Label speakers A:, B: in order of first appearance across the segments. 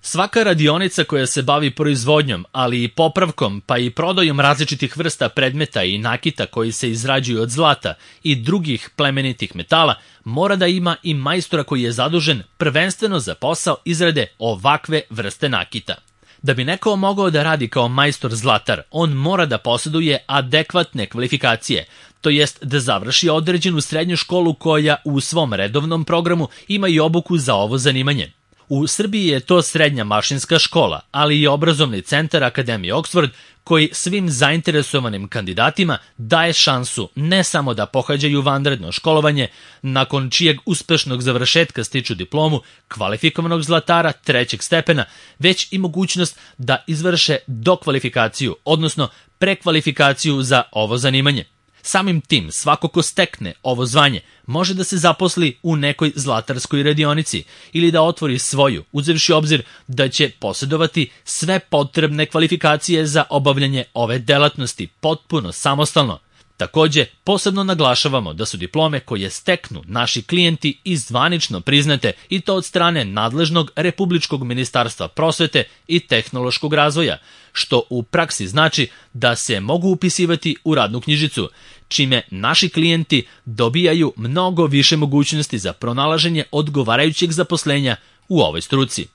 A: Svaka radionica koja se bavi proizvodnjom, ali i popravkom pa i prodajom različitih vrsta predmeta i nakita koji se izrađuju od zlata i drugih plemenitih metala mora da ima i majstora koji je zadužen prvenstveno za posao izrade ovakve vrste nakita. Da bi neko mogao da radi kao majstor zlatar, on mora da posjeduje adekvatne kvalifikacije, to jest da završi određenu srednju školu koja u svom redovnom programu ima i obuku za ovo zanimanje. U Srbiji je to srednja mašinska škola, ali i obrazovni centar Akademije Oxford, koji svim zainteresovanim kandidatima daje šansu ne samo da pohađaju vanredno školovanje, nakon čijeg uspešnog završetka stiču diplomu kvalifikovanog zlatara trećeg stepena, već i mogućnost da izvrše dokvalifikaciju, odnosno prekvalifikaciju za ovo zanimanje. Samim tim, svako ko stekne ovo zvanje može da se zaposli u nekoj zlatarskoj radionici ili da otvori svoju, uzevši obzir da će posjedovati sve potrebne kvalifikacije za obavljanje ove delatnosti potpuno samostalno. Takođe, posebno naglašavamo da su diplome koje steknu naši klijenti i zvanično priznate i to od strane nadležnog Republičkog ministarstva prosvete i tehnološkog razvoja, što u praksi znači da se mogu upisivati u radnu knjižicu, čime naši klijenti dobijaju mnogo više mogućnosti za pronalaženje odgovarajućeg zaposlenja u ovoj struci.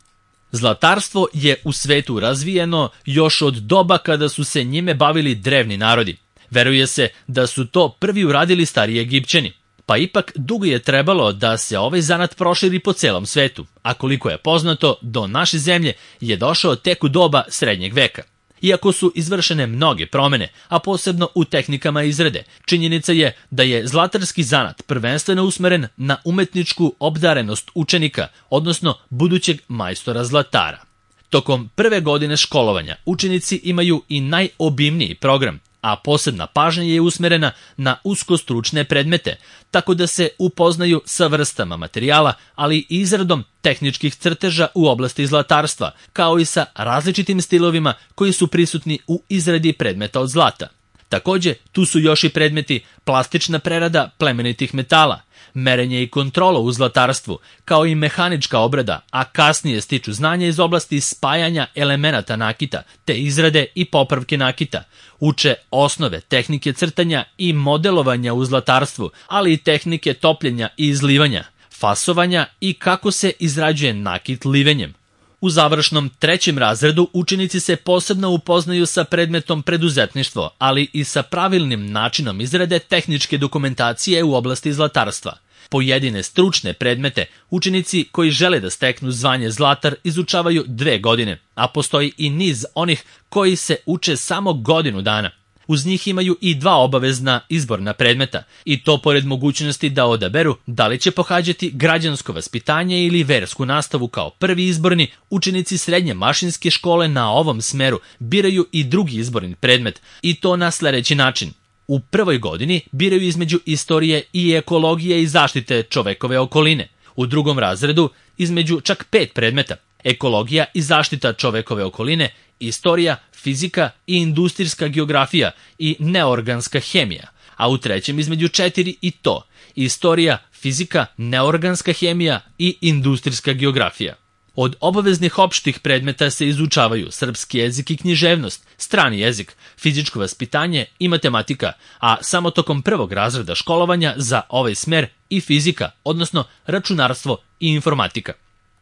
A: Zlatarstvo je u svetu razvijeno još od doba kada su se njime bavili drevni narodi. Veruje se da su to prvi uradili stari Egipćani, pa ipak dugo je trebalo da se ovaj zanat proširi po celom svetu, a koliko je poznato, do naše zemlje je došao tek u doba srednjeg veka. Iako su izvršene mnoge promene, a posebno u tehnikama izrade, činjenica je da je zlatarski zanat prvenstveno usmeren na umetničku obdarenost učenika, odnosno budućeg majstora zlatara. Tokom prve godine školovanja učenici imaju i najobimniji program, a posebna pažnja je usmerena na uskostručne predmete, tako da se upoznaju sa vrstama materijala, ali i izradom tehničkih crteža u oblasti zlatarstva, kao i sa različitim stilovima koji su prisutni u izradi predmeta od zlata. Takođe, tu su još i predmeti plastična prerada plemenitih metala, merenje i kontrola u zlatarstvu, kao i mehanička obrada, a kasnije stiču znanja iz oblasti spajanja elemenata nakita, te izrade i popravke nakita. Uče osnove tehnike crtanja i modelovanja u zlatarstvu, ali i tehnike topljenja i izlivanja, fasovanja i kako se izrađuje nakit livenjem. U završnom trećem razredu učenici se posebno upoznaju sa predmetom preduzetništvo, ali i sa pravilnim načinom izrade tehničke dokumentacije u oblasti zlatarstva. Pojedine stručne predmete učenici koji žele da steknu zvanje zlatar izučavaju 2 godine, a postoji i niz onih koji se uče samo godinu dana. Uz njih imaju i 2 obavezna izborna predmeta, i to pored mogućnosti da odaberu da li će pohađati građansko vaspitanje ili versku nastavu kao prvi izborni, učenici srednje mašinske škole na ovom smeru biraju i drugi izborni predmet, i to na sledeći način. U prvoj godini biraju između istorije i ekologije i zaštite čovekove okoline. U drugom razredu između čak 5 predmeta: ekologija i zaštita čovekove okoline, istorija, fizika i industrijska geografija i neorganska hemija, a u trećem između 4 i to: istorija, fizika, neorganska hemija i industrijska geografija. Od obaveznih opštih predmeta se izučavaju srpski jezik i književnost, strani jezik, fizičko vaspitanje i matematika, a samo tokom prvog razreda školovanja za ovaj smer i fizika, odnosno računarstvo i informatika.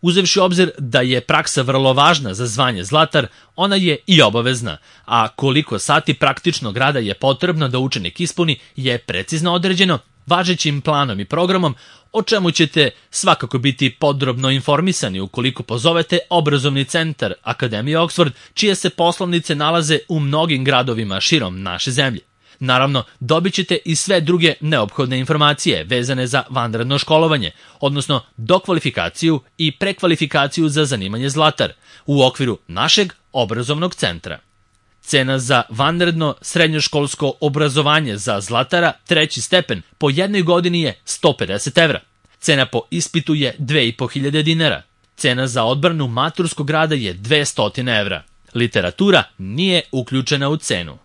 A: Uzevši obzir da je praksa vrlo važna za zvanje zlatar, ona je i obavezna, a koliko sati praktičnog rada je potrebno da učenik ispuni je precizno određeno važećim planom i programom, o čemu ćete svakako biti podrobno informisani ukoliko pozovete obrazovni centar Akademije Oxford, čije se poslovnice nalaze u mnogim gradovima širom naše zemlje. Naravno, dobit ćete i sve druge neophodne informacije vezane za vanredno školovanje, odnosno dokvalifikaciju i prekvalifikaciju za zanimanje zlatar u okviru našeg obrazovnog centra. Cena za vanredno srednjoškolsko obrazovanje za zlatara treći stepen po jednoj godini je 150 evra. Cena po ispitu je 2500 dinara. Cena za odbranu maturskog rada je 200 evra. Literatura nije uključena u cenu.